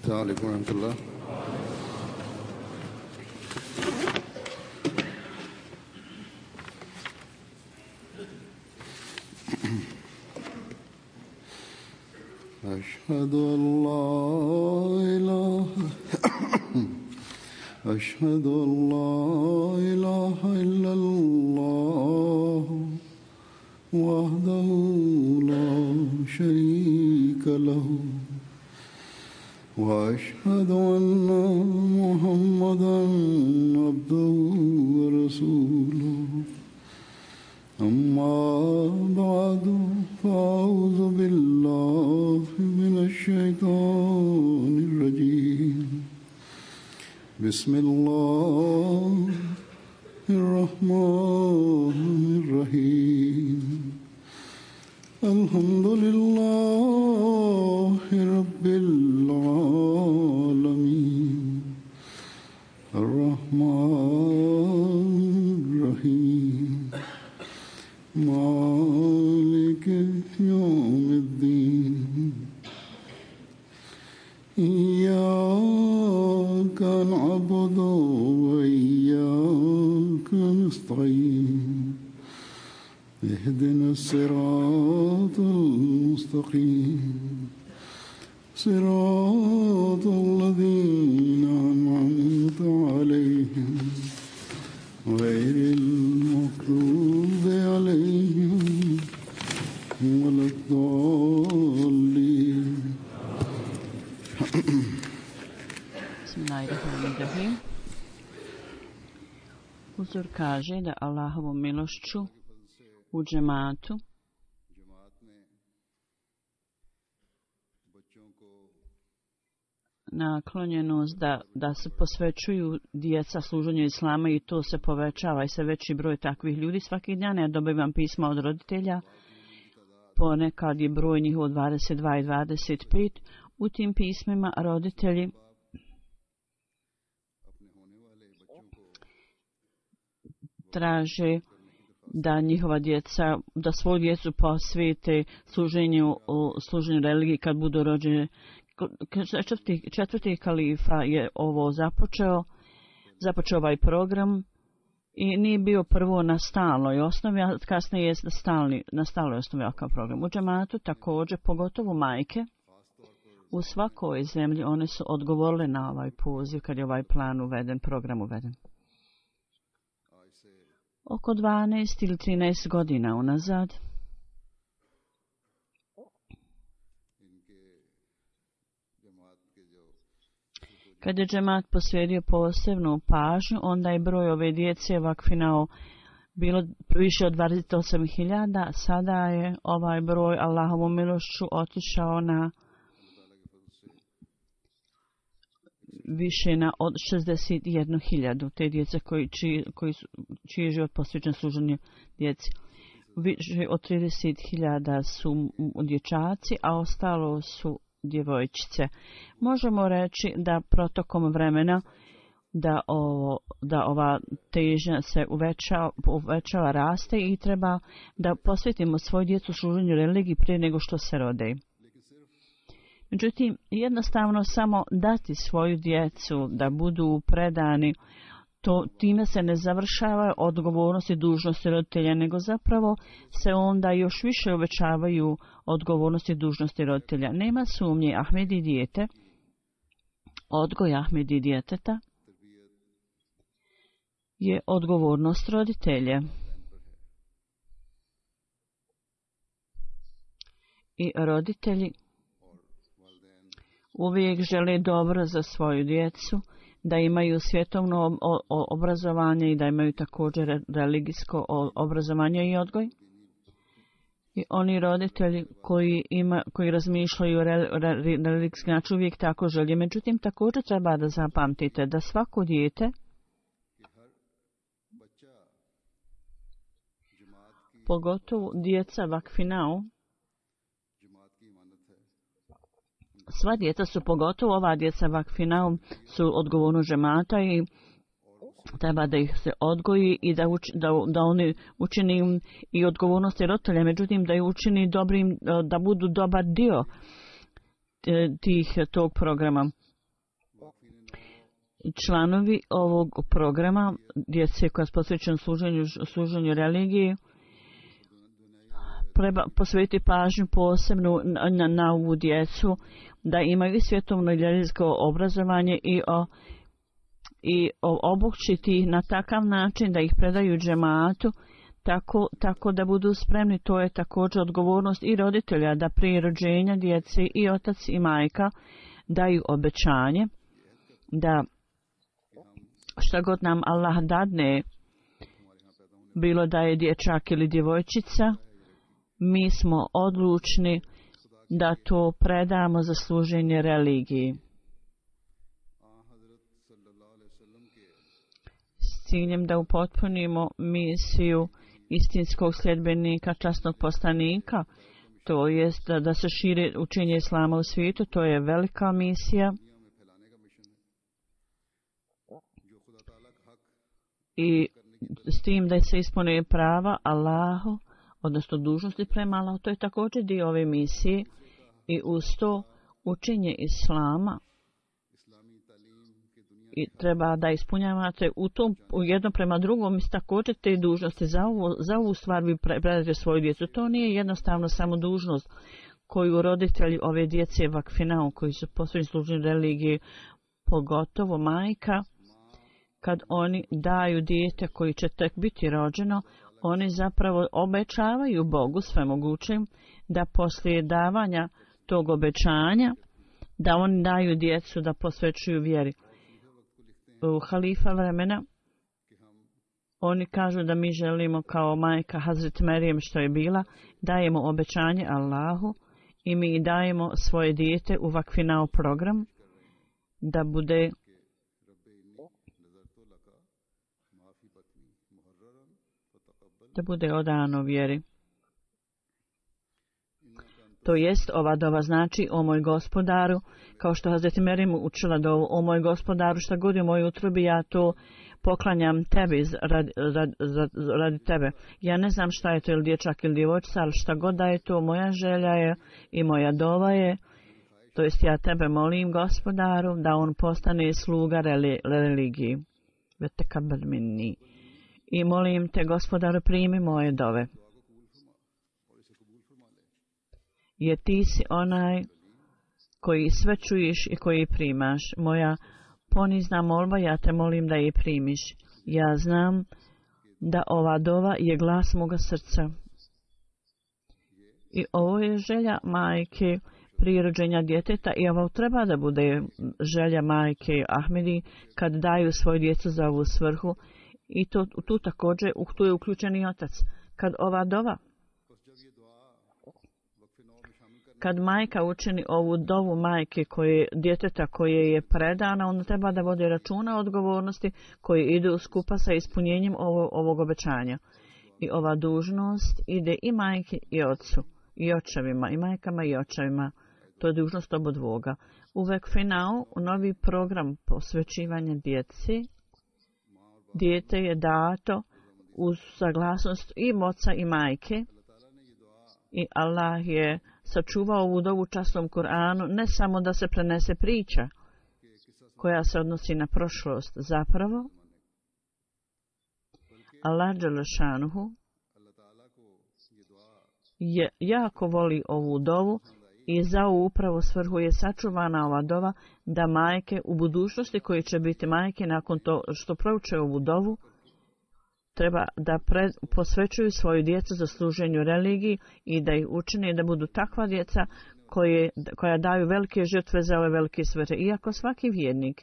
السلام عليكم ورحمة الله. أشهد أن لا إله أشهد أن لا إله إلا الله وحده لا شريك له وأشهد أن محمدا عبده ورسوله أما بعد فأعوذ بالله من الشيطان الرجيم بسم الله الرحمن الرحيم الحمد لله رب العالمين الرحمن الرحيم مالك يوم الدين إياك نعبد وإياك نستعين اهدنا الصراط المستقيم صراط الذين أنعمت عليهم غير المغضوب عليهم ولا الضالين. Bismillahirrahmanirrahim. Uzor kaže da Allahovom milošću u džematu naklonjenost da se posvećuju djeca služenju islama i to se povećava i sve veći broj takvih ljudi. Svaki dan ja dobivam pisma od roditelja, ponekad je broj njihov 22 i 25. U tim pismima roditelji traže da njihova djeca, da svoju djecu posvete služenju religiji kad budu rođene. Četvrti kalifa je ovo započeo ovaj program i nije bio prvo na stalnoj osnovi, a kasnije je na stalnoj osnovi ovakav program. U džematu također, pogotovo majke, u svakoj zemlji one su odgovorile na ovaj poziv kad je ovaj plan uveden, program uveden. Oko 12 ili 13 godina unazad kad je džemat posvetio posebnu pažnju, onda je broj ove djece vakfinao bilo više od 28.000. Sada je ovaj broj Allahovom milošću otišao na više od 61.000 te djece čiji je život posvećen služenju djeci. Više od 30.000 su dječaci, a ostalo su djevojčice. Možemo reći da protokom vremena da ova težnja se uvećava, raste i treba da posvetimo svoju djecu služenju religiji prije nego što se rode. Međutim, jednostavno samo dati svoju djecu da budu predani, time se ne završava odgovornost i dužnosti roditelja, nego zapravo se onda još više uvećavaju odgovornosti i dužnosti roditelja. Nema sumnje, Ahmedi dijete, odgoj Ahmedi djeteta je odgovornost roditelja. I roditelji uvijek žele dobro za svoju djecu, da imaju svjetovno obrazovanje i da imaju također religijsko obrazovanje i odgoj. I oni roditelji koji razmišljaju o religijski način uvijek tako želje. Međutim, također treba da zapamtite da svako dijete, pogotovo djeca vakfinao, sva djeca su, pogotovo ova djeca vakfinao, su odgovornost džemata i treba da ih se odgoji i da oni učini i odgovornosti roditelja, međutim da ih učini dobrim, da budu dobar dio tog programa. članovi ovog programa, djece koja je posvećena služenju religiji, treba posvetiti pažnju posebno na ovu djecu, da imaju svjetovno i religijsko obrazovanje i obučiti ih na takav način da ih predaju džematu, tako da budu spremni. To je također odgovornost i roditelja da prije rođenja djece i otac i majka daju obećanje da šta god nam Allah dadne, bilo da je dječak ili djevojčica, mi smo odlučni da to predamo za služenje religiji. S ciljem da upotpunimo misiju istinskog sljedbenika, časnog poslanika, to jest da se širi učenje islama u svijetu, to je velika misija. I s tim da se ispune prava Allahu, odnosno dužnosti prema Allahu, to je također dio ove misije. I uz to učenje islama i treba da ispunjavate u jedno prema drugom također te dužnosti. Za ovu stvar vi predate svoju djecu. To nije jednostavno samo dužnost koju roditelji ove djece vakfinao, koji su posvećeni služenju religiji, pogotovo majka, kad oni daju dijete koji će tek biti rođeno, oni zapravo obećavaju Bogu svemogućem da poslije davanja tog obećanja, da oni daju djecu da posvećuju vjeri. U halifa vremena oni kažu da mi želimo kao majka Hazret Merijem što je bila, dajemo obećanje Allahu i mi dajemo svoje dijete u vakfinao program da bude odano vjeri. To jest, ova dova znači: o moj gospodaru, kao što Hazreti Merijem učila dovu: o moj gospodaru, šta god je u mojoj utrobi, ja to poklanjam tebi radi tebe. Ja ne znam šta je to, ili dječak ili djevojčica, ali šta god da je to, moja želja je i moja dova je, to jest ja tebe molim, gospodaru, da on postane sluga religiji. Vetekabel minni. I molim te, gospodaru, primi moje dove. Jer ti si onaj koji sve čuješ i koji primaš. Moja ponizna molba, ja te molim da je primiš. Ja znam da ova dova je glas moga srca. I ovo je želja majke prije rođenja djeteta, i ovo treba da bude želja majke Ahmedi kad daju svoju djecu za ovu svrhu. I tu također tu je uključen i otac. Kad ova dova, kad majka učini ovu dovu majke djeteta koje je predana, onda treba da vodi računa o odgovornosti koje idu skupa sa ispunjenjem ovog obećanja. I ova dužnost ide i majke i ocu, i očevima, i majkama i očevima. To je dužnost obodvoga. U Vekfinau, novi program posvećivanja djeci, dijete je dato uz saglasnost i oca i majke, i Allah je sačuvao ovu dovu časnom Kur'anu, ne samo da se prenese priča koja se odnosi na prošlost. Zapravo, Allah dželešanuhu je jako voli ovu dovu i za ovu upravo svrhu je sačuvana ova dova, da majke u budućnosti koje će biti majke nakon to što prouče ovu dovu, treba da posvećuju svoju djecu za služenju religiji i da ih učine da budu takva djeca koja daju velike žrtve za ove velike svrhe. Iako svaki vjernik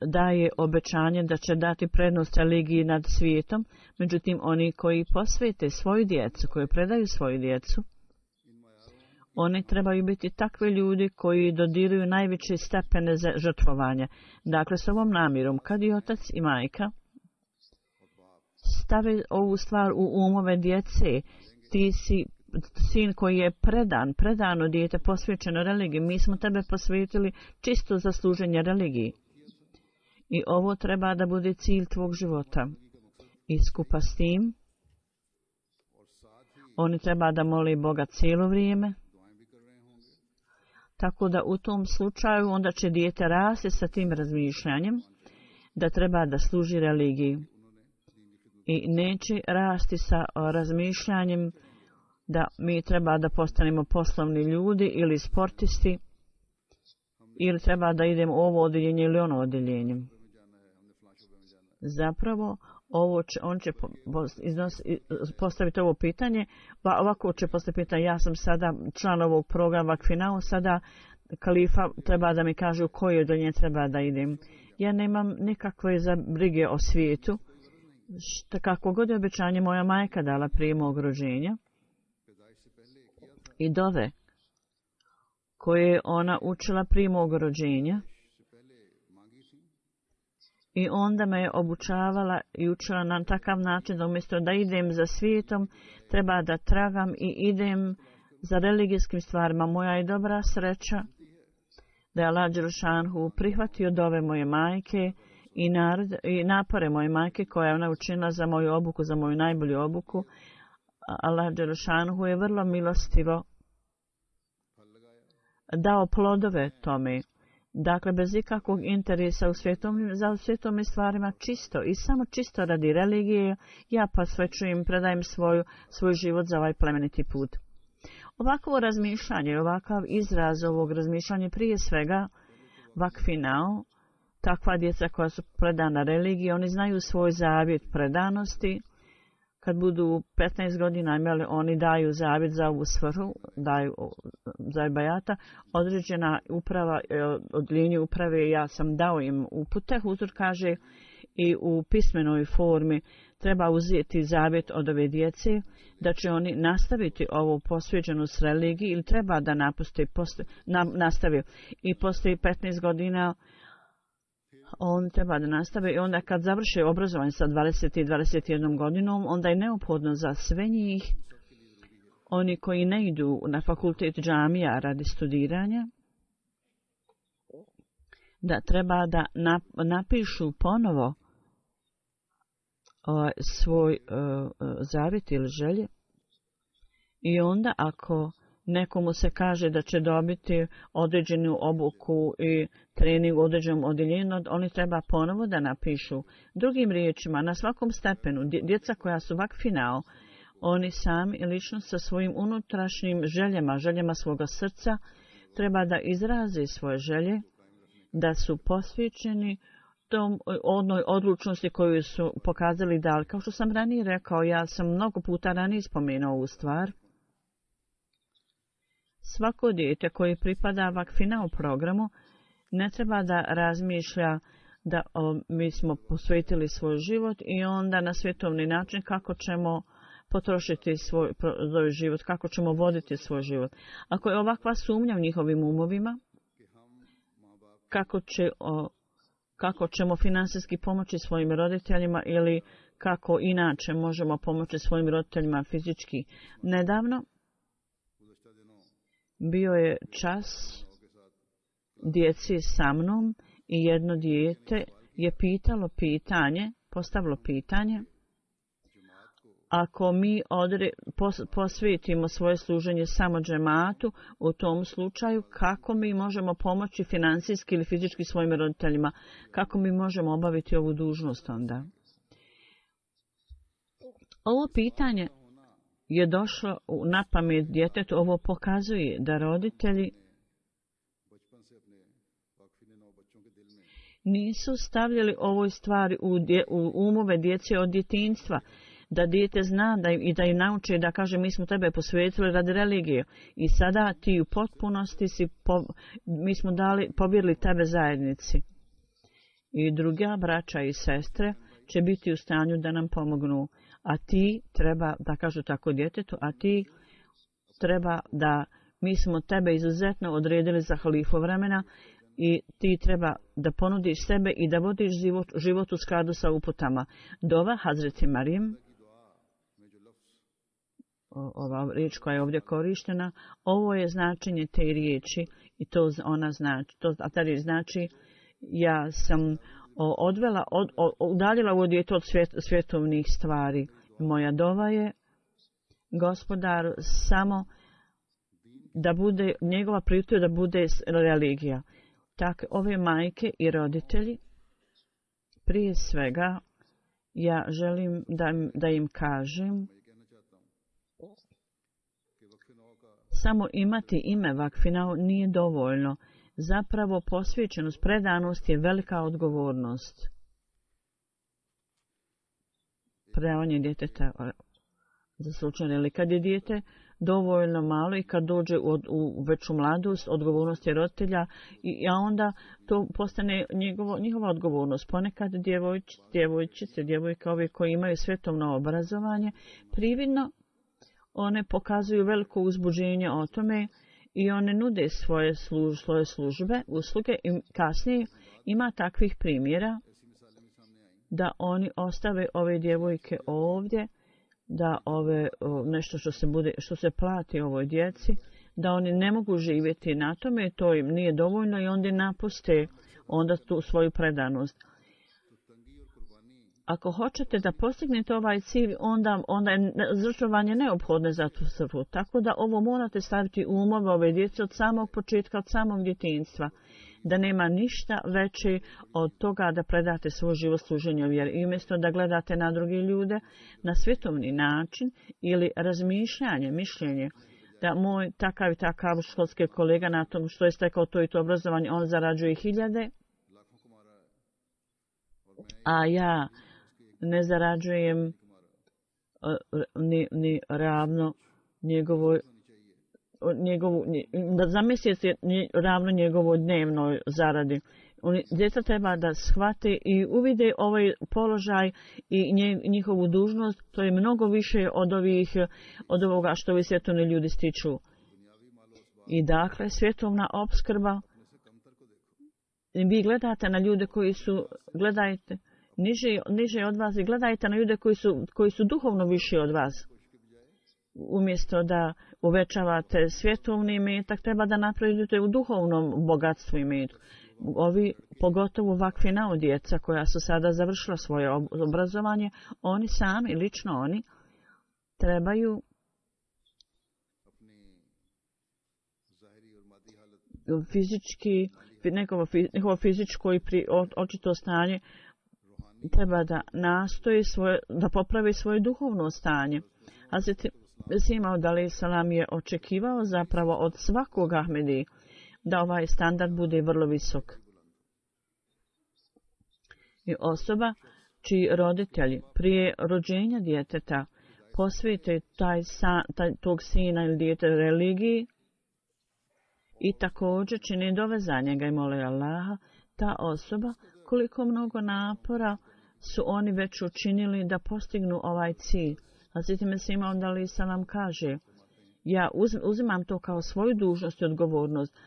daje obećanje da će dati prednost religiji nad svijetom, međutim oni koji posvete svoju djecu, koji predaju svoju djecu, oni trebaju biti takvi ljudi koji dodiruju najveće stepene žrtvovanja. Dakle, s ovom namjerom, kad i otac i majka stave ovu stvar u umove djece, ti si sin koji je predano dijete, posvećeno religiji, mi smo tebe posvetili čisto za služenje religiji. I ovo treba da bude cilj tvog života. I skupa s tim, oni treba da moli Boga cijelo vrijeme, Tako da u tom slučaju onda će dijete rasti sa tim razmišljanjem da treba da služi religiji. I neće rasti sa razmišljanjem da mi treba da postanemo poslovni ljudi ili sportisti ili treba da idemo u ovo odjeljenje ili ono odjeljenje. Zapravo, on će postaviti ovo pitanje, ovako će postaviti pitanje, ja sam sada član ovog programa Vakfinao, sada kalifa treba da mi kaže u koje odjeljenje treba da idem. Ja nemam nikakve brige o svijetu, kako god je obećanje moja majka dala prije mog rođenja i dove koje je ona učila prije mog rođenja. I onda me je obučavala i učila na takav način da umjesto da idem za svijetom, treba da tragam i idem za religijskim stvarima. Moja je dobra sreća da je Allah Đelšanhu prihvatio dove moje majke i napore moje majke koja je ona učinila za moju obuku, za moju najbolju obuku. Allah Đelšanhu je vrlo milostivo dao plodove tome. Dakle, bez ikakvog interesa za svjetovnim stvarima, čisto i samo čisto radi religije, ja posvećujem, predajem svoj život za ovaj plemeniti put. Ovakvo razmišljanje, ovakav izraz ovog razmišljanja, prije svega vakfinao, takva djeca koja su predana religiji, oni znaju svoj zavjet predanosti. Kad budu 15 godina imali, oni daju zavjet za ovu svrhu, daju za bajata. Određena uprava, od linije uprave, ja sam dao im upute, Huzur kaže, i u pismenoj formi treba uzeti zavjet od ove djece, da će oni nastaviti ovu posvećenost religiji ili treba da nastavi. I poslije 15 godina on treba da nastave i onda kad završe obrazovanje sa 20 i 21 godinom, onda je neophodno za sve njih, oni koji ne idu na fakultet džamija radi studiranja, da treba da napišu ponovo svoj zavjet ili želje. I onda ako nekomu se kaže da će dobiti određenu obuku i trening u određenom odjeljenju, oni treba ponovo da napišu. Drugim riječima, na svakom stepenu, djeca koja su vakfinao, oni sami lično sa svojim unutrašnjim željama svoga srca, treba da izraze svoje želje, da su posvećeni tom onoj odlučnosti koju su pokazali da, kao što sam ranije rekao, ja sam mnogo puta ranije spomenuo ovu stvar. Svako dijete koje pripada vakfinao programu ne treba da razmišlja da mi smo posvetili svoj život i onda na svjetovni način kako ćemo potrošiti svoj život, kako ćemo voditi svoj život. Ako je ovakva sumnja u njihovim umovima, kako ćemo finansijski pomoći svojim roditeljima ili kako inače možemo pomoći svojim roditeljima fizički. Nedavno bio je čas djeci sa mnom i jedno dijete je postavilo pitanje, ako mi posvetimo svoje služenje samo džematu, u tom slučaju kako mi možemo pomoći finansijski ili fizički svojim roditeljima, kako mi možemo obaviti ovu dužnost onda. Ovo pitanje je došlo na pamet djetetu. Ovo pokazuje da roditelji nisu stavljali ovoj stvari u umove djece od djetinjstva, da dijete zna i da im nauče da kaže mi smo tebe posvetili radi religije i sada ti u potpunosti mi smo povjerili tebe zajednici. I druga braća i sestre će biti u stanju da nam pomognu. A ti treba, da kažu tako djetetu, a ti treba da mi smo tebe izuzetno odredili za halifu vremena i ti treba da ponudiš sebe i da vodiš život u skladu sa uputama. Dova Hazreti Marijem, ova riječ koja je ovdje korištena, ovo je značenje te riječi i to ona znači, a ta riječ znači ja sam udaljila ovo dijete od svjetovnih stvari. Moja dova je, Gospodaru, samo da bude, njegova prioritet da bude religija. Tako, ove majke i roditelji, prije svega, ja želim da im kažem, samo imati ime vakfinao nije dovoljno. Zapravo posvećenost, predanost je velika odgovornost. Predavanje djeteta za slučaj, ili kad je dijete dovoljno malo i kad dođe u veću mladost, odgovornost je roditelja, a onda to postane njihova odgovornost. Ponekad djevojke ove koje imaju svjetovno obrazovanje, prividno one pokazuju veliko uzbuđenje o tome i one nude svoje službe, usluge i kasnije ima takvih primjera da oni ostave ove djevojke ovdje, da nešto što se plati ovoj djeci, da oni ne mogu živjeti na tome, to im nije dovoljno i onda napuste onda tu svoju predanost. Ako hoćete da postignete ovaj cilj, onda je žrtvovanje neophodno za tu svrhu. Tako da ovo morate staviti u umove ove djece od samog početka, od samog djetinjstva. Da nema ništa veće od toga da predate svoj život služenju vjeri. I umjesto da gledate na druge ljude na svjetovni način ili razmišljanje, mišljenje, da moj takav i takav školski kolega na tom što je stekao to i to obrazovanje, on zarađuje 1000, a ja ne zarađujem ni ravno za mjesec je ravno njegovoj dnevnoj zaradi. Djeca treba da shvate i uvide ovaj položaj i njihovu dužnost. To je mnogo više od ovoga što ovi svjetovni ljudi stiču. I dakle, svjetovna opskrba, vi gledate na ljude gledajte niže od vas i gledajte na ljude koji su duhovno viši od vas. Umjesto da uvećavate svjetovni imetak, treba da napravite u duhovnom bogatstvu imetku. Pogotovo vakfinao djeca koja su sada završila svoje obrazovanje, oni sami, lično oni, trebaju njihovo fizičko i očito stanje treba da nastoji da popravi svoje duhovno stanje. Hazreti Sima Dalejhi Salam je očekivao zapravo od svakog Ahmedi da ovaj standard bude vrlo visok. I osoba čiji roditelji prije rođenja djeteta posvete tog sina ili dijete religiji i također čini dove za njega i mole Allaha, ta osoba koliko mnogo napora su oni već učinili da postignu ovaj cilj. Hazreti Mesih Maud Alejhi Salam kaže, ja uzimam to kao svoju dužnost i odgovornost,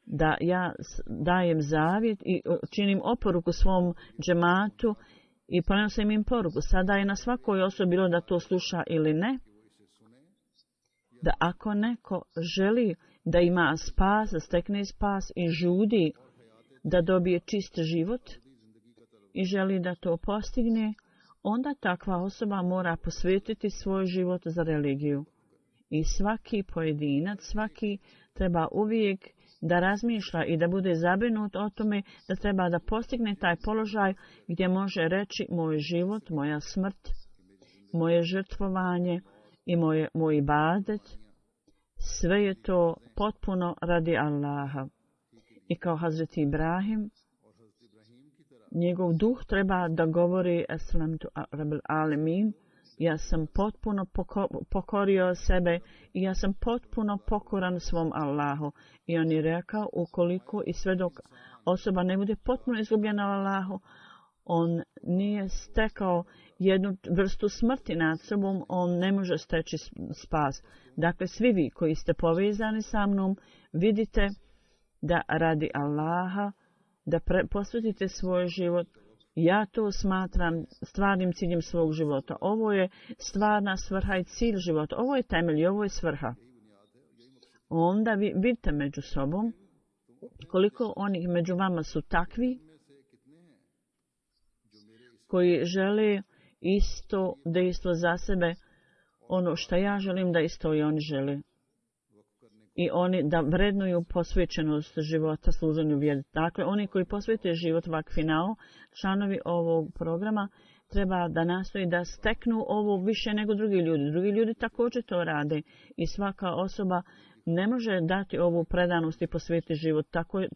da ja dajem zavjet i činim oporuku svom džematu i prenosim im poruku. Sada je na svakoj osobi bilo da to sluša ili ne, da ako neko želi da ima spas, da stekne spas i žudi da dobije čist život i želi da to postigne, onda takva osoba mora posvetiti svoj život za religiju. I svaki pojedinac, svaki treba uvijek da razmišlja i da bude zabrinut o tome da treba da postigne taj položaj gdje može reći moj život, moja smrt, moje žrtvovanje i moj ibadet, sve je to potpuno radi Allaha. I kao Hazreti Ibrahim, njegov duh treba da govori Aslamtu Rabbil Alemin, ja sam potpuno pokorio sebe i ja sam potpuno pokoran svom Allahu. I on je rekao, ukoliko i sve dok osoba ne bude potpuno izgubljena Allahu, on nije stekao jednu vrstu smrti nad sobom, on ne može steći spas. Dakle, svi vi koji ste povezani sa mnom, vidite da radi Allaha, da posvetite svoj život. Ja to smatram stvarnim ciljem svog života. Ovo je stvarna svrha i cilj života. Ovo je temelj i ovo je svrha. Onda vi vidite među sobom koliko onih među vama su takvi koji žele isto dejstvo za sebe, ono što ja želim da isto i oni žele. i oni da vrednuju posvećenost života služenju vjeri. Dakle, oni koji posvete život vakfinao, članovi ovog programa, treba da nastoji da steknu ovo više nego drugi ljudi. Drugi ljudi također to rade i svaka osoba ne može dati ovu predanost i posvetiti život.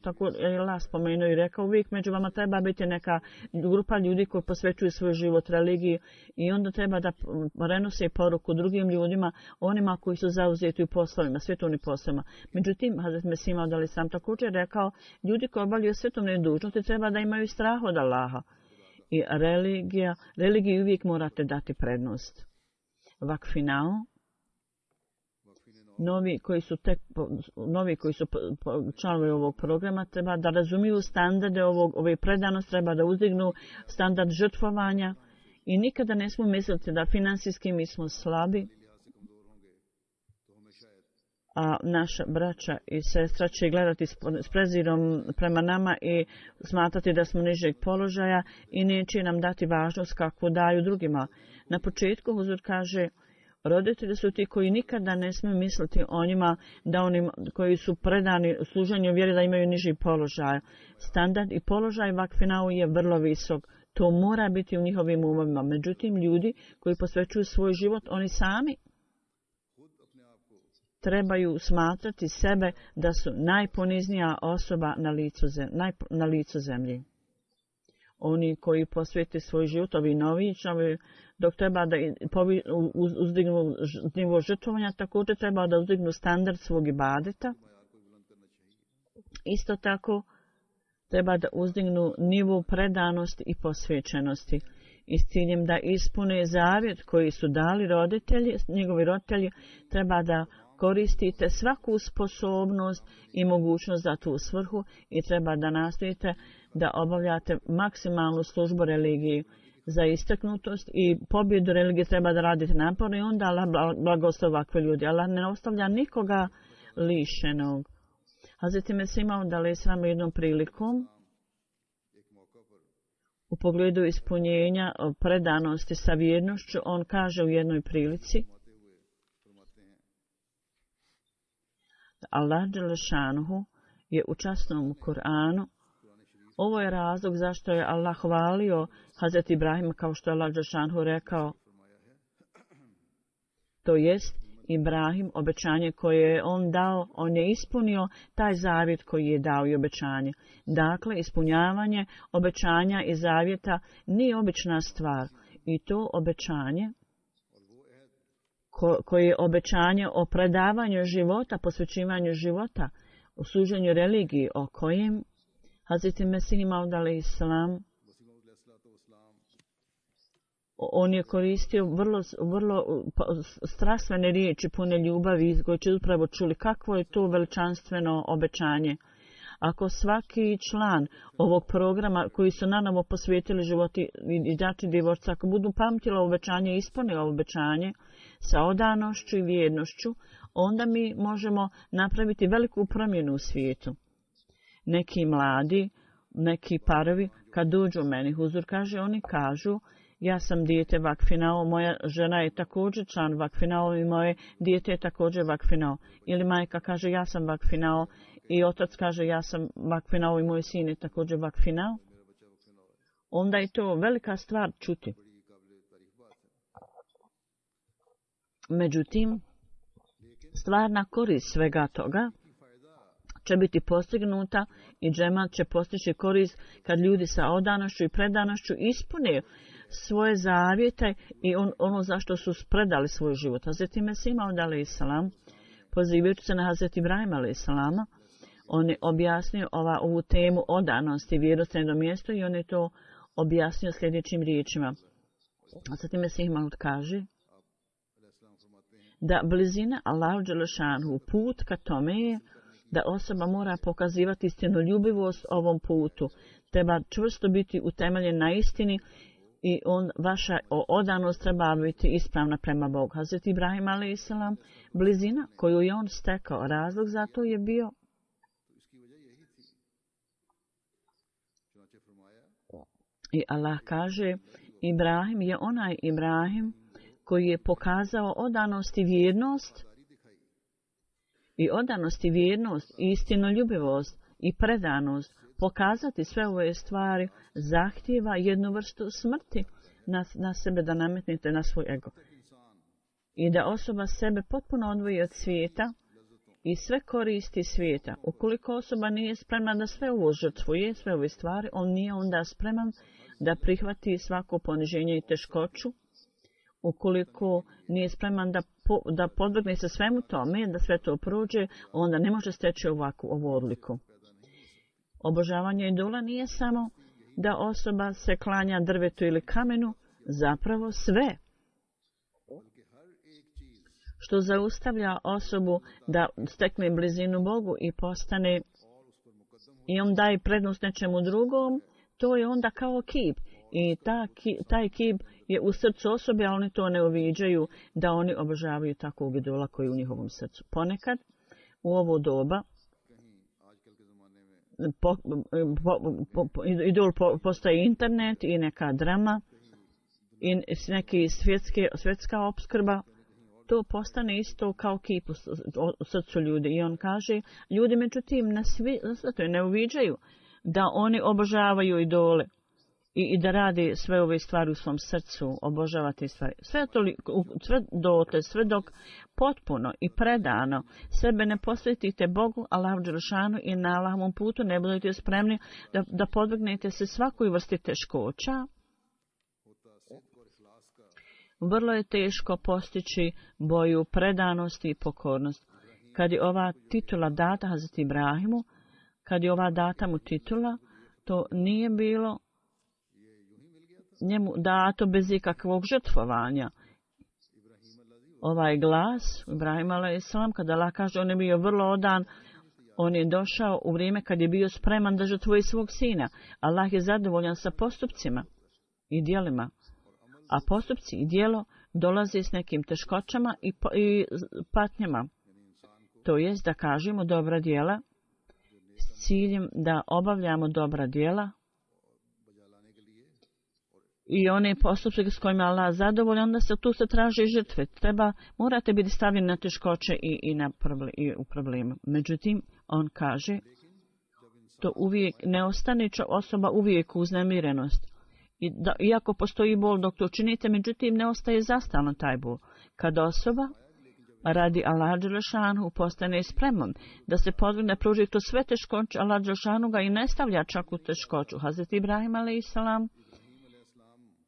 Tako je Allah spomenuo i rekao, uvijek među vama treba biti neka grupa ljudi koji posvećuju svoj život religiji i onda treba da prenose poruku drugim ljudima, onima koji su zauzeti u poslovima, svjetovnim poslovima. Međutim, Hazret Mesih Maud alejhi selam također rekao, ljudi koji obavljaju svjetovne dužnosti treba da imaju strah od Allaha. I religiji uvijek morate dati prednost. Vakfinao, novi koji su članovi ovog programa treba da razumiju standarde ove predanosti, treba da uzdignu standard žrtvovanja i nikada ne smo misliti da finansijski mi smo slabi, a naša braća i sestra će gledati s prezirom prema nama i smatrati da smo nižeg položaja i neće nam dati važnost kako daju drugima. Na početku Huzur kaže, roditelji su ti koji nikada ne smiju misliti o njima da oni koji su predani služenju vjeri da imaju niži položaj. Standard i položaj vakfinao je vrlo visok. To mora biti u njihovim umovima. Međutim, ljudi koji posvećuju svoj život, oni sami trebaju smatrati sebe da su najponiznija osoba na licu zemlje. Oni koji posvete svoj život, ovi novi članovi, dok treba da uzdignu nivo žrtvovanja, također treba da uzdignu standard svog ibadeta. Isto tako treba da uzdignu nivo predanosti i posvećenosti. I s ciljem da ispune zavjet koji su dali njegovi roditelji, treba da koristite svaku sposobnost i mogućnost za tu svrhu i treba da nastojite da obavljate maksimalnu službu religiji. Za istaknutost i pobjedu religije treba da radite naporno i onda Allah blagoslov ovakve ljudi. Allah ne ostavlja nikoga lišenog. Hazreti Mesih Maud alejhi selam jednom prilikom u pogledu ispunjenja predanosti sa vjernošću, on kaže u jednoj prilici, Allah dželešanuhu je u časnom Kur'anu. Ovo je razlog zašto je Allah hvalio Hazreti Ibrahima, kao što je Allah dželešanuhu rekao. To jest, Ibrahim, obećanje koje je on dao, on je ispunio taj zavjet koji je dao i obećanje. Dakle, ispunjavanje obećanja i zavjeta nije obična stvar. I to obećanje koje je obećanje o predavanju života, posvećivanju života, o služenju religiji, o kojem Hazreti Mesih Maud alejhi selam on je koristio vrlo strastvene riječi, pune ljubavi, koje će upravo čuli kakvo je to veličanstveno obećanje. Ako svaki član ovog programa koji su nanovo posvetili životi i dati divorca, ako budu pamtila obećanje i ispunila obećanje sa odanošću i vjernošću, onda mi možemo napraviti veliku promjenu u svijetu. Neki mladi, neki parovi, kad dođu meni, Huzur kaže, oni kažu, ja sam dijete vakfinao, moja žena je također član vakfinao i moje dijete je također vakfinao. Ili majka kaže, ja sam vakfinao i otac kaže, ja sam vakfinao i moj sin je također vakfinao. Onda je to velika stvar čuti. Međutim, stvarna korist svega toga će biti postignuta i džemat će postići korist kad ljudi sa odanošću i predanošću ispune svoje zavjete i ono zašto su predali svoj život. Hazreti Mesih Maud alejhi selam, pozivajući se na Hazreti Ibrahima alejhi selama, on je objasnio ovu temu odanosti i vjernosti na mjestu i on je to objasnio sljedećim riječima. Hazreti Mesih Maud kaže da blizina Allahu dželešanhu, put ka tome je da osoba mora pokazivati istinoljubivost ovom putu. Treba čvrsto biti utemeljen na istini i vaša odanost treba biti ispravna prema Bogu. Hazreti Ibrahim a.s. blizina koju je on stekao, razlog za to je bio i Allah kaže, Ibrahim je onaj Ibrahim koji je pokazao odanost i vjernost i odanost i vjernost i istinoljubivost i predanost, pokazati sve ove stvari zahtijeva jednu vrstu smrti na sebe, da nametnete na svoj ego. I da osoba sebe potpuno odvoji od svijeta i sve koristi svijeta. Ukoliko osoba nije spremna da sve ovo žrtvuje, sve ove stvari, on nije onda spreman da prihvati svako poniženje i teškoću. Ukoliko nije spreman da podvrgne se svemu tome, da sve to prođe, onda ne može steći ovu odliku. Obožavanje idola nije samo da osoba se klanja drvetu ili kamenu, zapravo sve što zaustavlja osobu da stekne blizinu Bogu i postane i on daje prednost nečemu drugom, to je onda kao kip. I taj kip je u srcu osobe, a oni to ne uviđaju da oni obožavaju takvog idola koji je u njihovom srcu. Ponekad u ovo doba idol postaje internet i neka drama i neki svjetska opskrba. To postane isto kao kip u srcu ljudi. I on kaže, ljudi međutim ne uviđaju da oni obožavaju idole i da radi sve ove stvari u svom srcu, obožavati stvari. Sve dok potpuno i predano sebe ne posvetite Bogu, Allahu dželešanu i na Allahovom putu ne budete spremni da podvrgnete se svakoj vrsti teškoća, vrlo je teško postići boju predanosti i pokornost. Kad je ova titula data Hazreti Ibrahimu, kad je ova data mu titula, to nije bilo njemu dato bez ikakvog žrtvovanja. Ovaj glas, Ibrahim a.s., kada Allah kaže, on je bio vrlo odan, on je došao u vrijeme kad je bio spreman da žrtvuje svog sina. Allah je zadovoljan sa postupcima i djelima. A postupci i djelo dolaze s nekim teškoćama i patnjama. To jest da kažemo dobra djela s ciljem da obavljamo dobra djela i one postupke s kojima Allah zadovoljan, onda tu se traže žrtve. Morate biti stavljeni na teškoće i u problemu. Međutim, on kaže, to uvijek ne ostane osoba uvijek uznemirenost. Iako postoji bol dok to činite, međutim ne ostaje zastalno taj bol. Kad osoba radi Allah dželešanu postane spreman da se podvrgne pruži to sve teškoće, Allah dželešanu ga i ne stavlja čak u teškoću. Hazreti Ibrahim a.s.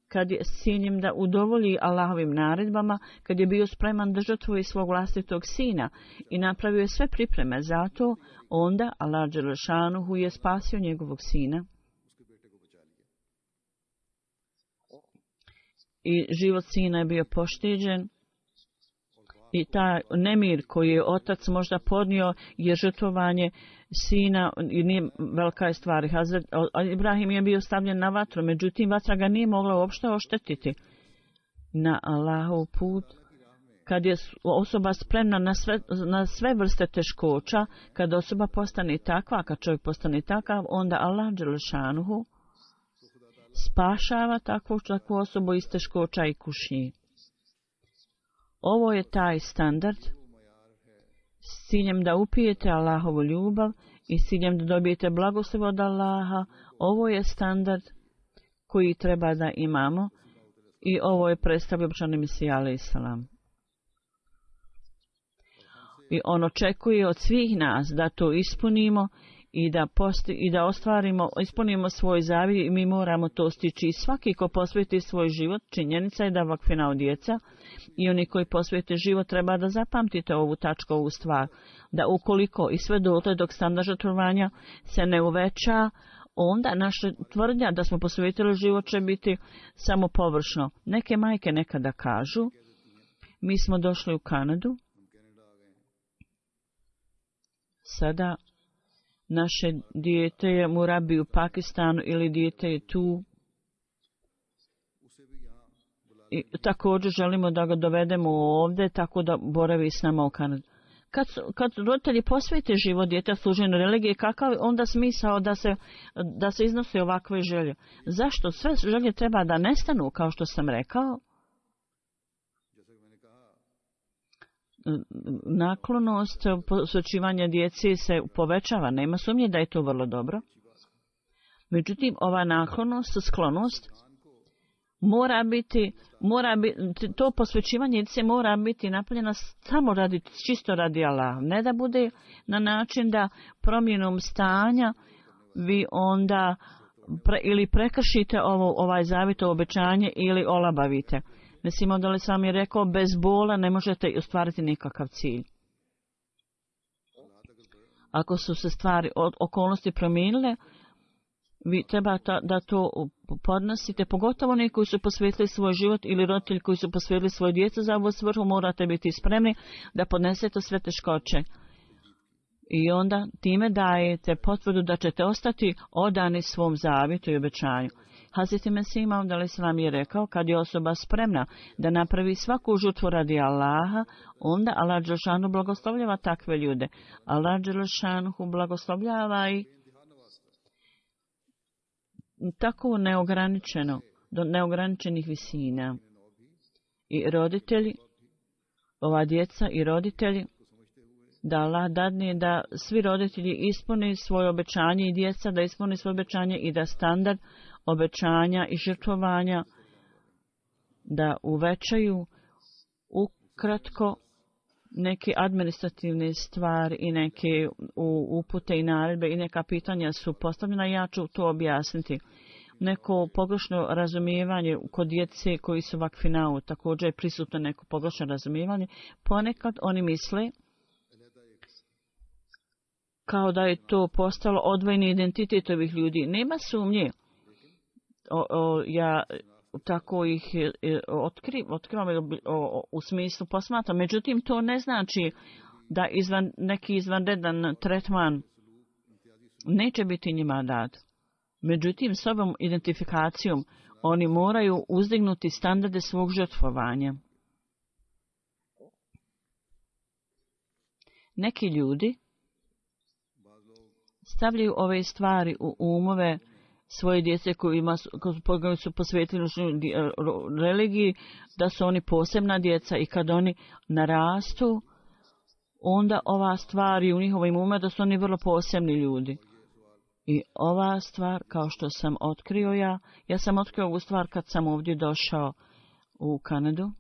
kad je s ciljem da udovolji Allahovim naredbama, kad je bio spreman da žrtvuje svog vlastitog sina i napravio je sve pripreme za to, onda Allah dželešanu je spasio njegovog sina. I život sina je bio pošteđen i taj nemir koji je otac možda podnio je žrtvovanje sina i nije velika stvar. Ibrahim je bio stavljen na vatru, međutim vatra ga nije mogla uopšte oštetiti. Na Allahov put, kad je osoba spremna na sve vrste teškoća, kad osoba postane takva, kad čovjek postane takav, onda Allah dželešanuhu spašava takvu osobu iz teškoća i kušnji. Ovo je taj standard s ciljem da upijete Allahovu ljubav i s ciljem da dobijete blagoslov od Allaha. Ovo je standard koji treba da imamo i ovo je predstavio obećani Mesija a.s. I on očekuje od svih nas da to ispunimo i da ispunimo svoj zavjet i mi moramo to stići. I svaki ko posveti svoj život, činjenica je da vakfina od djeca i oni koji posvete život treba da zapamtite ovu tačku, ovu stvar, da ukoliko i sve dotle dok standard žrtvovanja se ne uveća, onda naša tvrdnja da smo posvetili život će biti samo površno. Neke majke nekada kažu, mi smo došli u Kanadu, sada naše dijete je murabi u Pakistanu ili dijete je tu. I također želimo da ga dovedemo ovdje tako da boravi s nama u Kanadu. Kad roditelji posvete život djeta služenju religije, kakav onda smisao da se iznose ovakve želje? Zašto sve želje treba da nestanu, kao što sam rekao? naklonost posvećivanja djece se povećava. Nema sumnje da je to vrlo dobro. Međutim, ova naklonost, sklonost, mora biti, to posvećivanje djece mora biti napravljeno samo čisto radi Allah. Ne da bude na način da promjenom stanja vi onda ili prekršite ovaj zavjet, obećanje ili olabavite. Mislim, onda li sam je rekao, bez bola ne možete ostvariti nikakav cilj. Ako su se stvari, okolnosti promijenile, vi treba da to podnosite, pogotovo oni koji su posvetili svoj život ili roditelji koji su posvetili svoje djecu za ovu svrhu, morate biti spremni da podnesete sve teškoće. I onda time dajete potvrdu da ćete ostati odani svom zavjetu i obećanju. Hazreti Mesih Maud alejselam je rekao, kad je osoba spremna da napravi svaku žrtvu radi Allaha, onda Allah dželešanu blagoslovljava takve ljude. Allah dželešanu blagoslovljava i tako neograničeno, do neograničenih visina. I roditelji, ova djeca i roditelji, da Allah dadne da svi roditelji ispuni svoje obećanje i djeca da ispuni svoje obećanje i da standard obećanja i žrtvovanja da uvećaju ukratko neke administrativne stvari i neke upute i naredbe i neka pitanja su postavljena. Ja ću to objasniti. Neko pogrešno razumijevanje kod djece koji su vakfinao, također je prisutno neko pogrešno razumijevanje. Ponekad oni misle kao da je to postalo odvojeni identitet ovih ljudi. Nema sumnje. Ja tako ih otkrivam u smislu posmatram. Međutim, to ne znači da neki izvanredan tretman neće biti njima dat. Međutim, s ovom identifikacijom oni moraju uzdignuti standarde svog žrtvovanja. Neki ljudi stavljaju ove stvari u umove svoje djece koji su posvetili religiji, da su oni posebna djeca i kad oni narastu, onda ova stvar je u njihovim umima da su oni vrlo posebni ljudi. I ova stvar, kao što sam otkrio ja sam otkrio ovu stvar kad sam ovdje došao u Kanadu,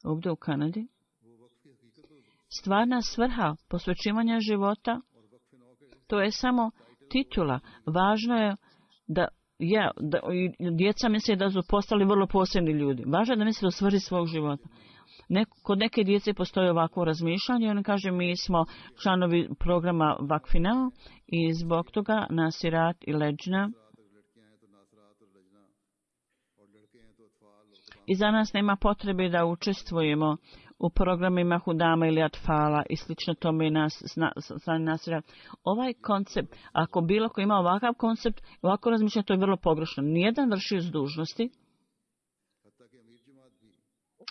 ovdje u Kanadi. Stvarna svrha posvećivanja života, to je samo titula. Važno je da djeca misle da su postali vrlo posebni ljudi. Važno je da misle o svrhi svog života. Kod neke djece postoji ovako razmišljanje. Oni kaže mi smo članovi programa Vakfinao i zbog toga Nasirat i Leđna. I za nas nema potrebe da učestvujemo u programima Hudama ili Atfala i slično tome Nasirat. Ovaj koncept, ako bilo ko ima ovakav koncept, ovako razmišljanje, to je vrlo pogrešno. Nijedan vršioc dužnosti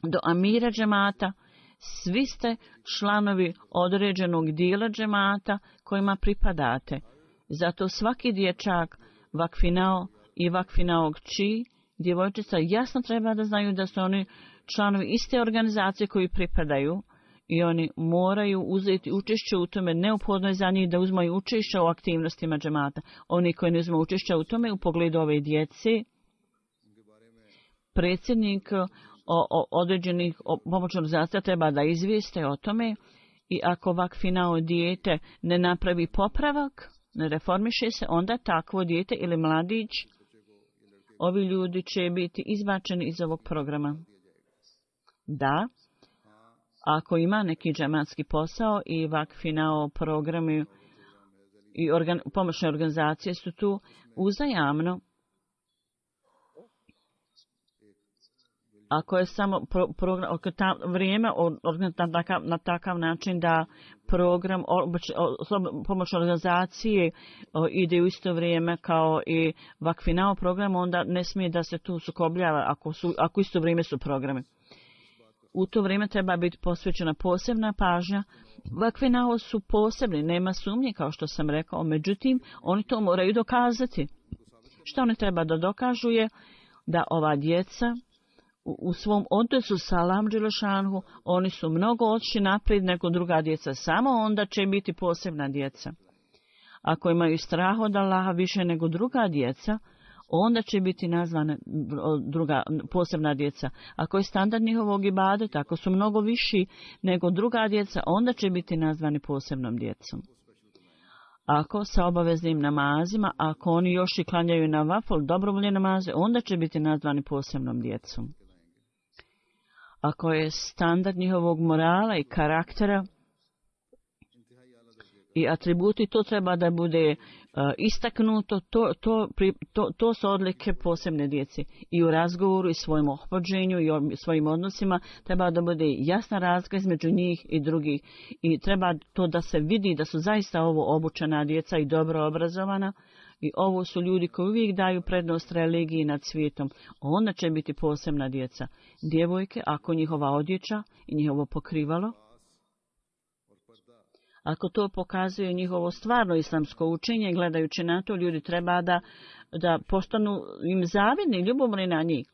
do amira džemata, svi ste članovi određenog dijela džemata kojima pripadate. Zato svaki dječak vakfinao i vakfinao kći, djevojčica jasno treba da znaju da su oni članovi iste organizacije koji pripadaju i oni moraju uzeti učešće u tome. Neophodno je za njih da uzmaju učešće u aktivnostima džemata. Oni koji ne uzmaju učešće u tome u pogledu ove djece, predsjednik određenih pomoćnih organizacija treba da izvijeste o tome i ako vakfinao dijete ne napravi popravak, ne reformiše se, onda takvo dijete ili mladić, ovi ljudi će biti izbačeni iz ovog programa. Da, ako ima neki džematski posao i vakfinao programi i pomoćne organizacije su tu uzajamno. Ako je samo vrijeme na takav način da program pomoćne organizacije ide u isto vrijeme kao i vakfinao program, onda ne smije da se tu sukobljava ako isto vrijeme su programe. U to vrijeme treba biti posvećena posebna pažnja. Vakfinao su posebni, nema sumnje kao što sam rekao, međutim oni to moraju dokazati. Što oni treba da dokažu je da ova djeca u svom odnosu sa Allahom dželešanhu, oni su mnogo otišli naprijed nego druga djeca. Samo onda će biti posebna djeca. Ako imaju strah od Allaha više nego druga djeca, onda će biti nazvana druga posebna djeca. Ako je standard njihovog ibadeta, ako su mnogo viši nego druga djeca, onda će biti nazvani posebnom djecom. Ako sa obaveznim namazima, ako oni još i klanjaju na vafol, dobrovoljne namaze, onda će biti nazvani posebnom djecom. Ako je standard njihovog morala i karaktera i atributi, to treba da bude istaknuto, to su odlike posebne djece. I u razgovoru i svojom ophođenju i svojim odnosima treba da bude jasna razlika između njih i drugih. I treba to da se vidi da su zaista ovo obučena djeca i dobro obrazovana. I ovo su ljudi koji uvijek daju prednost religiji nad svijetom. Onda će biti posebna djeca. Djevojke, ako njihova odjeća i njihovo pokrivalo, ako to pokazuje njihovo stvarno islamsko učenje, gledajući na to, ljudi treba da postanu im zavidni, ljubomorni na njih.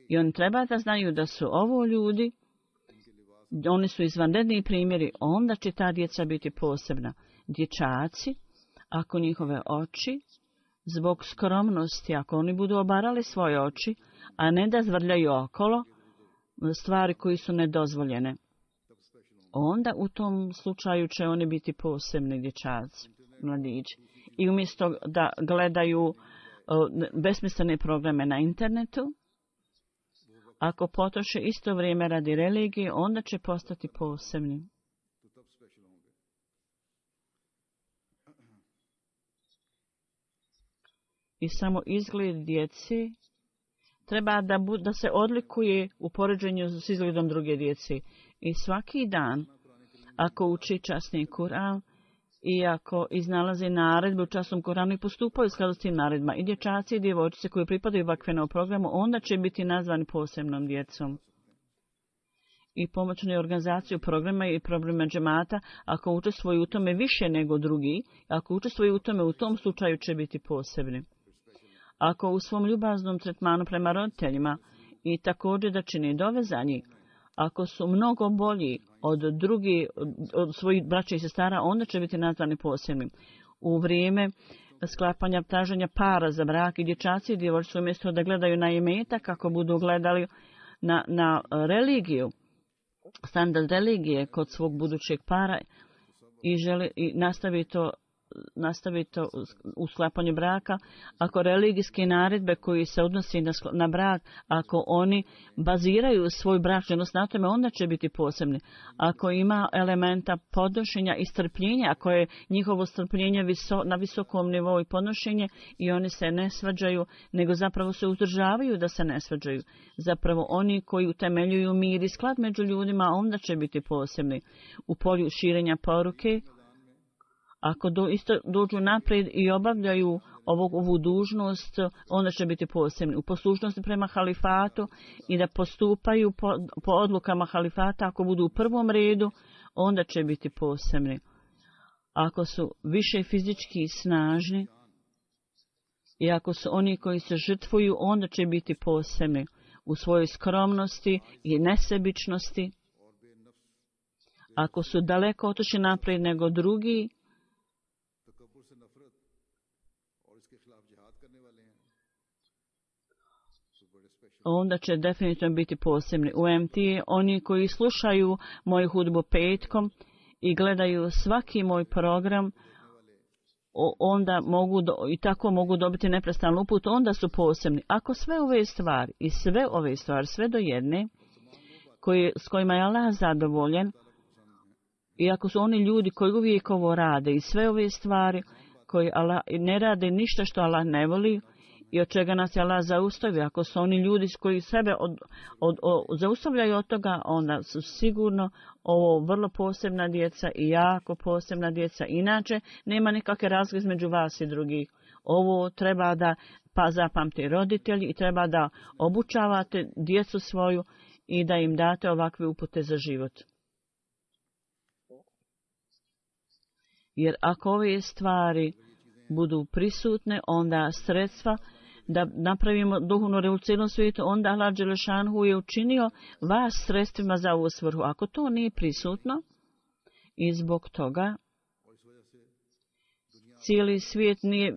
I oni treba da znaju da su ovo ljudi, oni su izvanredni primjeri, onda će ta djeca biti posebna. Dječaci, ako njihove oči, zbog skromnosti, ako oni budu obarali svoje oči, a ne da zvrljaju okolo stvari koji su nedozvoljene, onda u tom slučaju će oni biti posebni dječaci, mladići. I umjesto da gledaju besmislene programe na internetu, ako potroše isto vrijeme radi religije, onda će postati posebni. I samo izgled djece treba da se odlikuje u poređenju s izgledom druge djece. I svaki dan, ako uči časni Kur'an i ako iznalaze naredbe u časnom Kur'anu i postupaju u skladu s tim naredbama, i dječaci i djevojčice koji pripadaju vakvenom programu, onda će biti nazvani posebnom djecom. I pomoćnu organizaciju programa i programa džemata, ako učestvuju u tome više nego drugi, ako učestvuju u tome, u tom slučaju će biti posebni. Ako u svom ljubaznom tretmanu prema roditeljima i također da čini dove za njih, ako su mnogo bolji od drugih, od svojih braća i sestara, onda će biti nazvani posebnim. U vrijeme sklapanja traženja para za brak i dječaci i djevojčice umjesto da gledaju na imetak, kako budu gledali na religiju, standard religije kod svog budućeg para i želi i nastavi to u sklapanju braka, ako religijske naredbe koji se odnosi na brak, ako oni baziraju svoj bračni odnos na tome, onda će biti posebni. Ako ima elementa podnošenja i strpljenja, ako je njihovo strpljenje na visokom nivou i podnošenje i oni se ne svađaju, nego zapravo se uzdržavaju da se ne svađaju. Zapravo oni koji utemeljuju mir i sklad među ljudima, onda će biti posebni. U polju širenja poruke, ako dođu naprijed i obavljaju ovu dužnost, onda će biti posebni. U poslušnosti prema halifatu i da postupaju po odlukama halifata, ako budu u prvom redu, onda će biti posebni. Ako su više fizički snažni i ako su oni koji se žrtvuju, onda će biti posebni u svojoj skromnosti i nesebičnosti. Ako su daleko otišli naprijed nego drugi, onda će definitivno biti posebni. U MT oni koji slušaju moju hudbu petkom i gledaju svaki moj program, onda i tako mogu dobiti neprestanu uput, onda su posebni. Ako sve ove stvari i sve do jedne s kojima je Allah zadovoljen, i ako su oni ljudi koji uvijek ovo rade i sve ove stvari koji Allah ne rade ništa što Allah ne voli i od čega nas je Allah zaustavio, ako su oni ljudi koji sebe zaustavljaju od toga, onda su sigurno ovo vrlo posebna djeca i jako posebna djeca. Inače, nema nikakve razlike između vas i drugih. Ovo treba da zapamte roditelji i treba da obučavate djecu svoju i da im date ovakve upute za život. Jer ako ove stvari budu prisutne, onda sredstva da napravimo duhovnu revoluciju u svijetu, onda Allah Đelešanhu je učinio vas sredstvima za ovu svrhu. Ako to nije prisutno i zbog toga cijeli svijet nije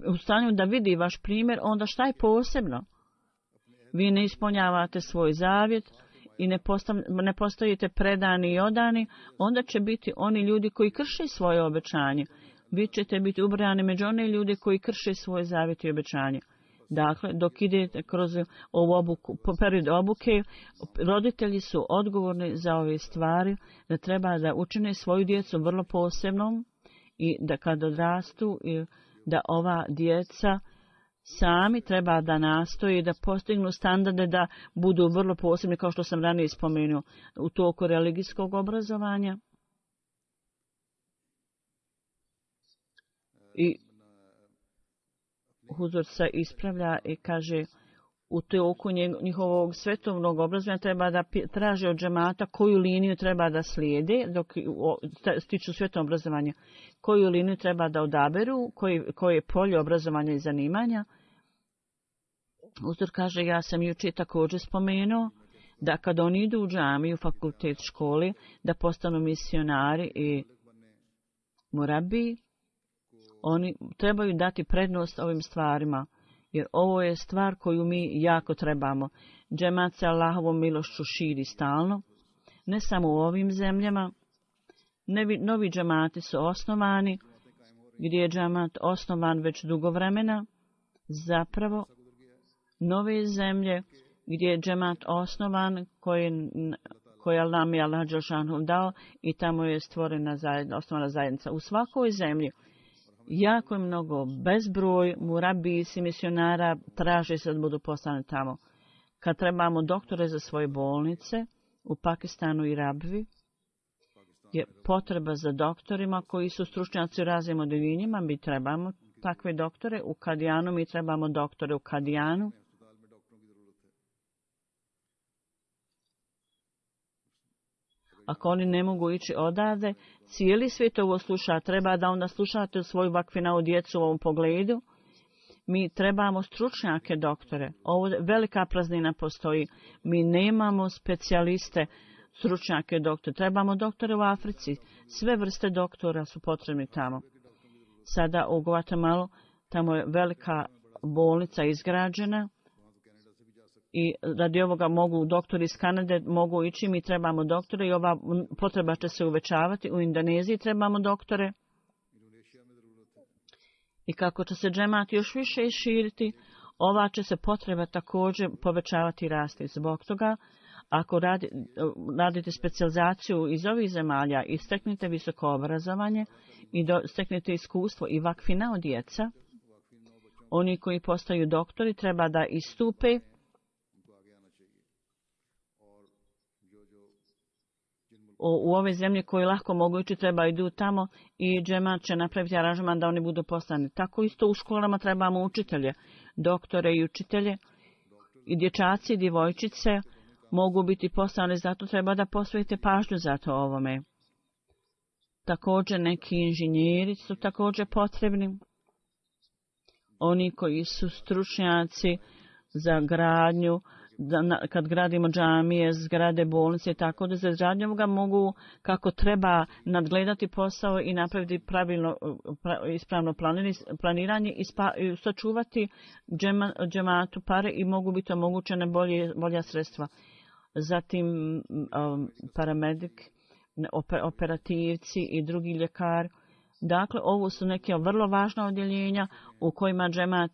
u stanju da vidi vaš primjer, onda šta je posebno? Vi ne ispunjavate svoj zavjet i ne postojite predani i odani, onda će biti oni ljudi koji krše svoje obećanje. Vi ćete biti ubrani među one ljude koji krše svoje zavjet i obećanje. Dakle, dok idete kroz ovu period obuke, roditelji su odgovorni za ove stvari, da treba da učine svoju djecu vrlo posebnom i da kad odrastu, da ova djeca sami treba da nastoji da postignu standarde da budu vrlo posebni, kao što sam ranije spomenuo, u toku religijskog obrazovanja. I Huzur se ispravlja i kaže u toku njihovog svetovnog obrazovanja treba da traže od džemata koju liniju treba da slijede, dok stiču svetovnog obrazovanja, koju liniju treba da odaberu, koje polje obrazovanja i zanimanja. Huzur kaže, ja sam jučer također spomenuo da kad oni idu u džamiju, fakultet, školi, da postanu misionari i murabi, oni trebaju dati prednost ovim stvarima, jer ovo je stvar koju mi jako trebamo. Džemat se Allahovom milošću širi stalno, ne samo u ovim zemljama. Novi džemati su osnovani, gdje je džemat osnovan već dugo vremena. Zapravo, nove zemlje gdje je džemat osnovan, koje nam je Allah Đelšanhu dao i tamo je stvorena osnovana zajednica. U svakoj zemlji jako je mnogo, bezbroj murabis i misionara traže se da budu poslani tamo. Kad trebamo doktore za svoje bolnice u Pakistanu i Rabvi, je potreba za doktorima koji su stručnjaci u raznim odeljenjima. Mi trebamo takve doktore u Kadijanu, mi trebamo doktore u Kadijanu. Ako oni ne mogu ići odavde, cijeli svijet ovo sluša, treba da onda slušate svoju vakfina u djecu u ovom pogledu. Mi trebamo stručnjake doktore. Ovo velika praznina postoji. Mi nemamo specijaliste, stručnjake doktore. Trebamo doktore u Africi. Sve vrste doktora su potrebni tamo. Sada u Guatemalu, tamo je velika bolnica izgrađena. I radi ovoga mogu doktori iz Kanade mogu ići, mi trebamo doktore i ova potreba će se uvećavati. U Indoneziji trebamo doktore. I kako će se džemat još više širiti, ova će se potreba također povećavati i rasti. Zbog toga, ako radite specijalizaciju iz ovih zemalja i steknete visoko obrazovanje i steknete iskustvo i vakfina od djeca, oni koji postaju doktori treba da istupe u ove zemlje koje lahko mogu ići, treba idu tamo i džemat će napraviti aranžman da oni budu poslani. Tako isto u školama trebamo učitelje, doktore i učitelje. I dječaci i djevojčice mogu biti poslani, zato treba da posvetite pažnju za to ovome. Također neki inženjeri su također potrebni. Oni koji su stručnjaci za gradnju, kad gradimo džamije, zgrade, bolnice, tako da za izgradnju ovoga mogu kako treba nadgledati posao i napraviti pravilno, ispravno planiranje i sačuvati džematu pare i mogu biti omogućene bolja sredstva. Zatim paramedik, operativci i drugi ljekar. Dakle, ovo su neke vrlo važna odjeljenja u kojima džemat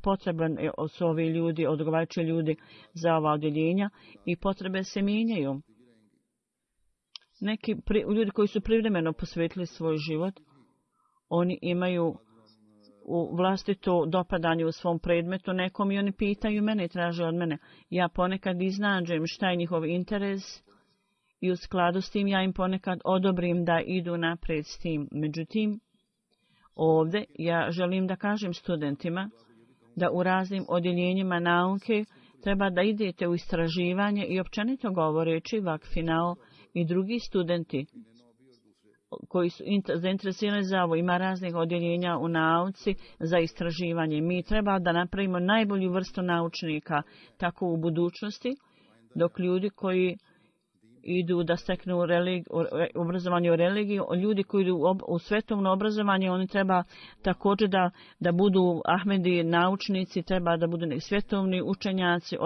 potreban su ovi ljudi, odgovarajući ljudi za ova odjeljenja i potrebe se mijenjaju. Neki ljudi koji su privremeno posvetili svoj život, oni imaju u vlastito dopadanje u svom predmetu nekom i oni pitaju mene i traže od mene. Ja ponekad iznađem šta je njihov interes i u skladu s tim ja im ponekad odobrim da idu naprijed s tim. Međutim, ovdje ja želim da kažem studentima da u raznim odjeljenjima nauke treba da idete u istraživanje i općenito govoreći vakfinao i drugi studenti. koji su zainteresirani za ovo. Ima raznih odjeljenja u nauci za istraživanje. Mi treba da napravimo najbolju vrstu naučnika tako u budućnosti, dok ljudi koji idu da steknu obrazovanje u religiji, ljudi koji idu u svetovno obrazovanje, oni treba također da budu Ahmedi naučnici, treba da budu svjetovni učenjaci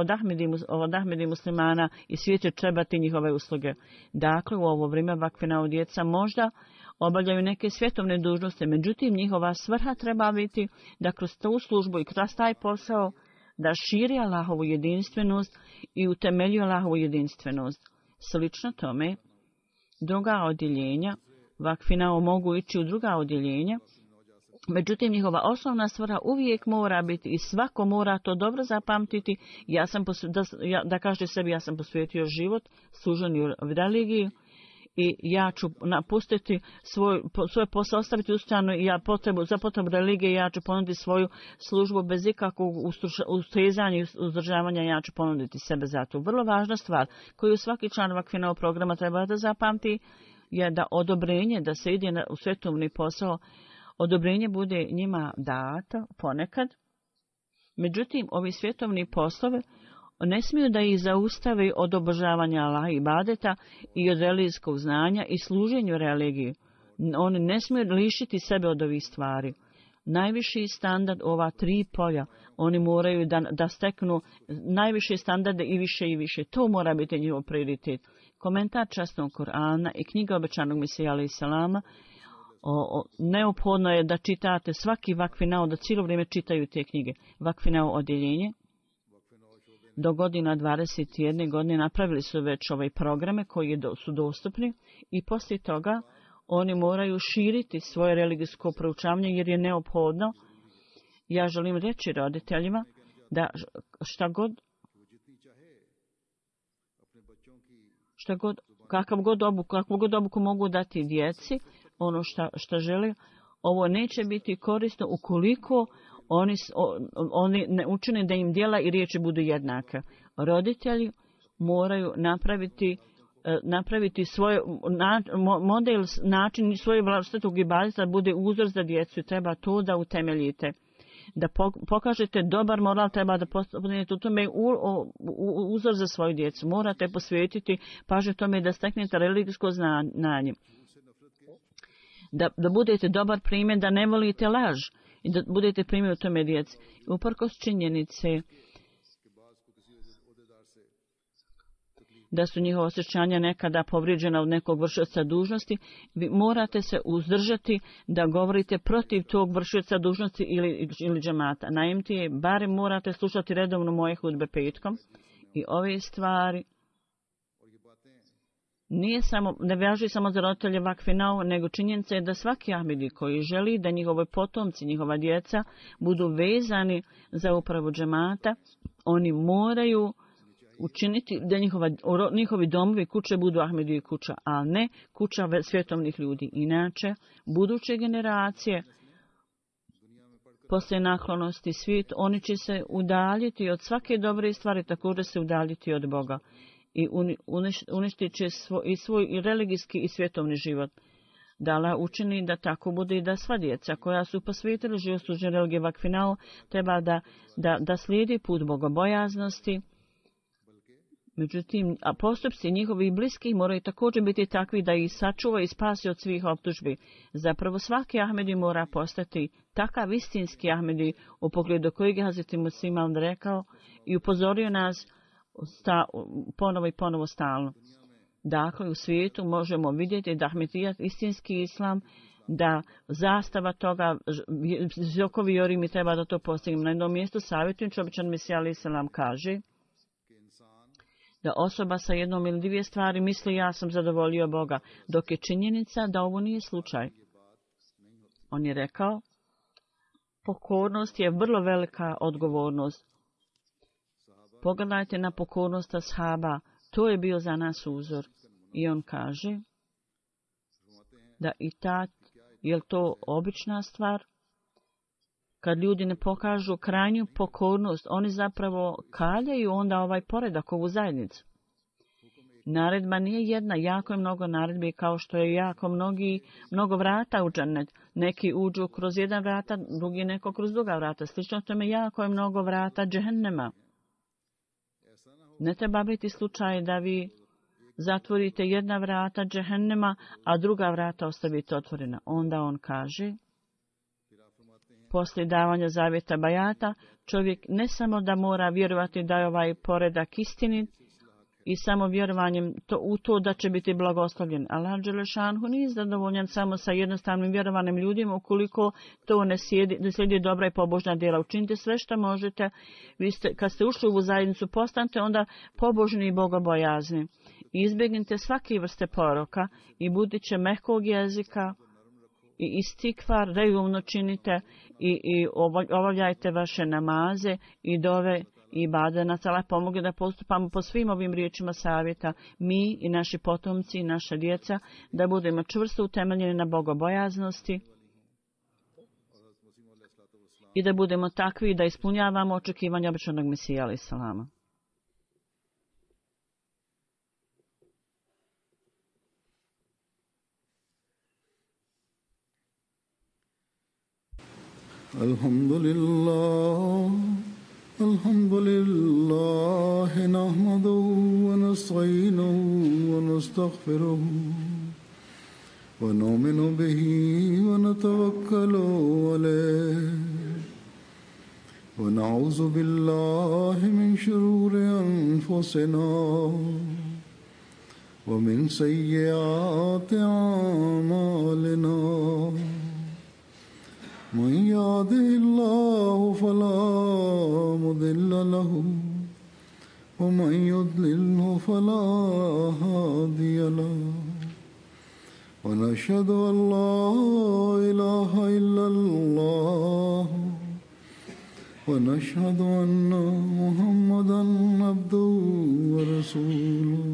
od Ahmedi muslimana i svijet će trebati njihove usluge. Dakle, u ovo vrijeme vakfina djeca možda obavljaju neke svjetovne dužnosti, međutim njihova svrha treba biti da kroz tu službu i kroz taj posao da širi Allahovu jedinstvenost i utemelju Allahovu jedinstvenost. Slično tome, druga odjeljenja vakfina mogu ići u druga odjeljenja, međutim njihova osnovna svrha uvijek mora biti i svako mora to dobro zapamtiti. Da kaže sebi, ja sam posvetio život služenju religiji i ja ću napustiti svoj posao, ostaviti u stranu i za potrebu religije ja ću ponuditi svoju službu bez ikakvog ustezanja i uzdržavanja, ja ću ponuditi sebe za to. Vrlo važna stvar koju svaki član vakfinovog programa treba da zapamti je da odobrenje da se ide u svetovni posao, odobrenje bude njima dato ponekad. Međutim, ovi svjetovni poslovi ne smiju da ih zaustave od obožavanja Allaha i ibadeta i od religijskog znanja i služenju religiji. Oni ne smiju lišiti sebe od ovih stvari. Najviši standard ova tri polja, oni moraju da steknu najviše standarde i više i više. To mora biti njihov prioritet. Komentar časnog Korana i knjiga obećanog Mesija alejhi selama, neophodno je da čitate svaki vakfinao, da cijelo vrijeme čitaju te knjige. Vakfinao odjeljenje do godina 21 godine napravili su već ove programe koji su dostupni i poslije toga oni moraju širiti svoje religijsko proučavanje jer je neophodno. Ja želim reći roditeljima da kakvu god obuku mogu dati djeci, ono što žele, ovo neće biti korisno ukoliko oni ne učine da im djela i riječi budu jednake. Roditelji moraju napraviti svoj model, način svoje vlastitog ibadeta da bude uzor za djecu. Treba to da utemeljite. Da pokažete dobar moral, treba da postanete u tome uzor za svoju djecu. Morate posvetiti pažnju tome da steknete religijsko znanje. Da budete dobar primjer, da ne volite laž i da budete primjer u tome djeci. Uprkos činjenice da su njihova osjećanja nekada povrijeđena od nekog vršioca dužnosti, vi morate se uzdržati da govorite protiv tog vršioca dužnosti ili džemata. Naimti, barem morate slušati redovno moje hudbe petkom i ove stvari ne važi samo za roditelje vakfinao, nego činjenica je da svaki Ahmedi koji želi da njihovi potomci, njihova djeca budu vezani za upravu džemata, oni moraju učiniti da njihovi domovi, kuće budu Ahmedi kuća, a ne kuća svjetovnih ljudi. Inače, buduće generacije poslije naklonosti svijet, oni će se udaljiti od svake dobre stvari, također se udaljiti od Boga i uništit će svoj i religijski i svjetovni život. Da Allah učini da tako bude i da sva djeca koja su posvetili život služenju religije vakfinao treba da slijedi put bogobojaznosti. Međutim, a postupci njihovih bliskih moraju također biti takvi da ih sačuva i spasi od svih optužbi. Zapravo svaki Ahmedi mora postati takav istinski Ahmedi u pogledu kojeg je Hazreti Musliman rekao i upozorio nas ponovo i ponovo stalno. Dakle, u svijetu možemo vidjeti da Ahmedijat, istinski islam, da zastava toga, visokovi jorimi treba da to postignemo. Na jednom mjestu savjetujući običan Mesija alejhi selam kaže da osoba sa jednom ili dvije stvari misli ja sam zadovoljio Boga, dok je činjenica da ovo nije slučaj. On je rekao, pokornost je vrlo velika odgovornost. Pogledajte na pokornost ashaba, to je bio za nas uzor. I on kaže da i je to obična stvar? Kad ljudi ne pokažu krajnju pokornost, oni zapravo kaljaju onda ovaj poredak, ovu zajednicu. Naredba nije jedna, jako je mnogo naredbi, kao što je jako mnogo vrata u džennet. Neki uđu kroz jedan vrata, drugi neko kroz druga vrata. Slično tome jako je mnogo vrata džehennema. Ne treba biti slučaj da vi zatvorite jedna vrata džehennema, a druga vrata ostavite otvorena. Onda on kaže, poslije davanja zavjeta bajata, čovjek ne samo da mora vjerovati da je ovaj poredak istinit i samo vjerovanjem u to da će biti blagoslovljen. Allah dželešanhu nije zadovoljan samo sa jednostavnim vjerovanim ljudima ukoliko to ne slijedi dobra i pobožna djela. Učinite sve što možete. Kad ste ušli u ovu zajednicu, postanite onda pobožni i bogobojazni. Izbjegnite svake vrste poroka i budite mehkog jezika i istikvar, reumno činite i obavljajte vaše namaze i dove i bade. Nas Allah pomogne da postupamo po svim ovim riječima savjeta, mi i naši potomci i naša djeca, da budemo čvrsto utemeljeni na bogobojaznosti i da budemo takvi da ispunjavamo očekivanja običnog Mesija alejhi selama. Alhamdulillah, nahmaduhu wa nasta'inuhu wa nastaghfiruhu wa nu'minu bihi wa natawakkalu alayhi wa na'udhu billahi min shururi anfusina wa min sayyiati a'malina. من يهده الله فلا مضل له ومن يضلله فلا هادي له ونشهد أن لا إله إلا الله ونشهد أن محمدا عبده ورسوله.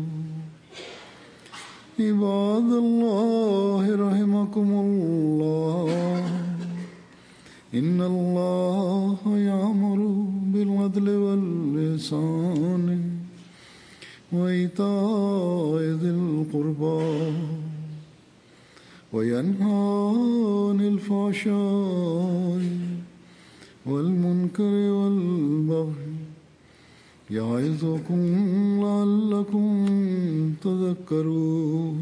عباد الله رحمكم الله، إن الله يأمر بالعدل والإحسان وإيتاء ذي القربى وينهى عن الفحشاء والمنكر والبغي يعظكم لعلكم تذكرون.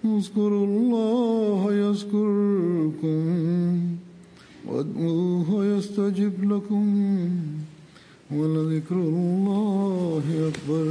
اذكروا الله يذكركم وادعوه يستجب لكم ولذكر الله أكبر.